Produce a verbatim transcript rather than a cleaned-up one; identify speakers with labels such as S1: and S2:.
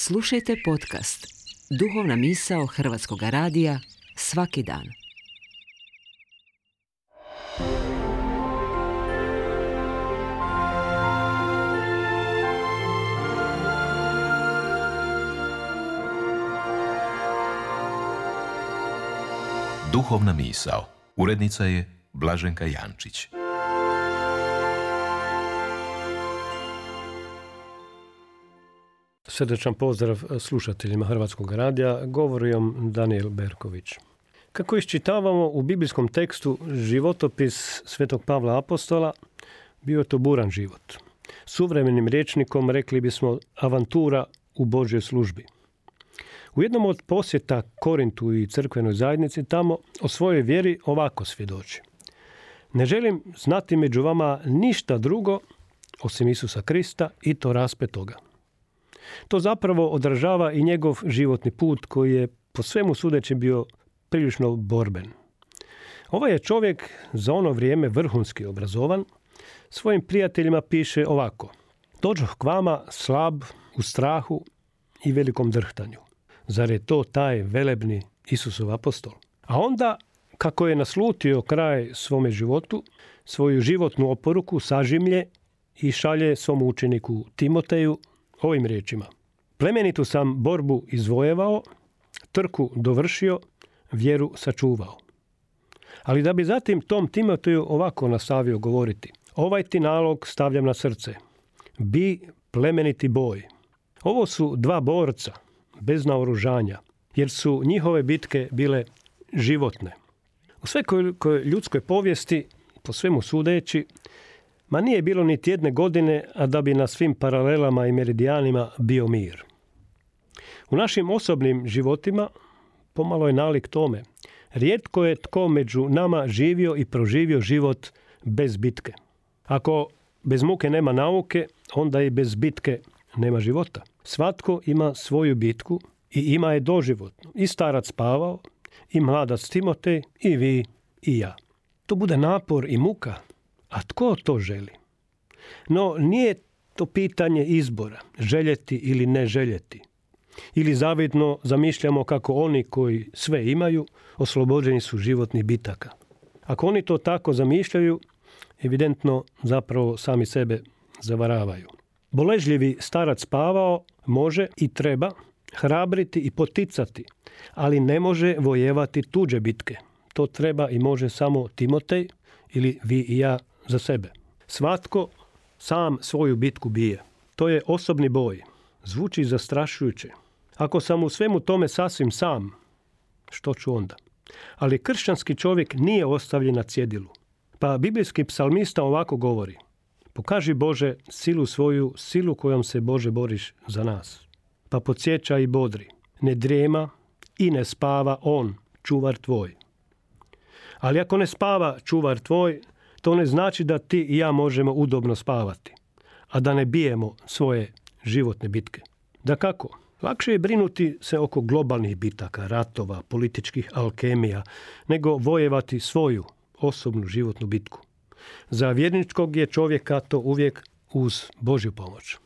S1: Slušajte podcast Duhovna misao Hrvatskog radija svaki dan.
S2: Duhovna misao. Urednica je Blaženka Jančić.
S3: Srdečan pozdrav slušateljima Hrvatskog radija, govori vam Danijel Berković. Kako iščitavamo u biblijskom tekstu životopis Svetog Pavla Apostola, bio je to buran život. Suvremenim rječnikom rekli bismo avantura u Božjoj službi. U jednom od posjeta Korintu i crkvenoj zajednici tamo o svojoj vjeri ovako svjedoči. Ne želim znati među vama ništa drugo osim Isusa Krista i to raspetoga. To zapravo odražava i njegov životni put koji je po svemu sudeći bio prilično borben. Ovaj je čovjek za ono vrijeme vrhunski obrazovan, svojim prijateljima piše ovako. Dođoh k vama slab, u strahu i velikom drhtanju. Zar je to taj velebni Isusov apostol? A onda, kako je naslutio kraj svome životu, svoju životnu oporuku sažimlje i šalje svom učeniku Timoteju ovim riječima. Plemenitu sam borbu izvojevao, trku dovršio, vjeru sačuvao. Ali da bi zatim tom Timoteju ovako nastavio govoriti. Ovaj ti nalog stavljam na srce. Bi plemeniti boj. Ovo su dva borca, bez naoružanja, jer su njihove bitke bile životne. U svekoj ljudskoj povijesti, po svemu sudeći, ma nije bilo niti jedne godine, a da bi na svim paralelama i meridijanima bio mir. U našim osobnim životima pomalo je nalik tome. Rijetko je tko među nama živio i proživio život bez bitke. Ako bez muke nema nauke, onda i bez bitke nema života. Svatko ima svoju bitku i ima je doživotnu. I starac Pavao, i mladac Timotej, i vi, i ja. To bude napor i muka. A tko to želi? No, nije to pitanje izbora, željeti ili ne željeti. Ili zavidno zamišljamo kako oni koji sve imaju, oslobođeni su životnih bitaka. Ako oni to tako zamišljaju, evidentno zapravo sami sebe zavaravaju. Boležljivi starac Pavao može i treba hrabriti i poticati, ali ne može vojevati tuđe bitke. To treba i može samo Timotej ili vi i ja za sebe. Svatko sam svoju bitku bije. To je osobni boj. Zvuči zastrašujuće. Ako sam u svemu tome sasvim sam, što ću onda? Ali kršćanski čovjek nije ostavljen na cjedilu. Pa biblijski psalmista ovako govori. Pokaži Bože silu svoju, silu kojom se Bože boriš za nas. Pa podsjeća i bodri. Ne drijema i ne spava on, čuvar tvoj. Ali ako ne spava čuvar tvoj, to ne znači da ti i ja možemo udobno spavati, a da ne bijemo svoje životne bitke. Dakako, lakše je brinuti se oko globalnih bitaka, ratova, političkih alkemija, nego vojevati svoju osobnu životnu bitku. Za vjerničkog je čovjeka to uvijek uz Božju pomoć.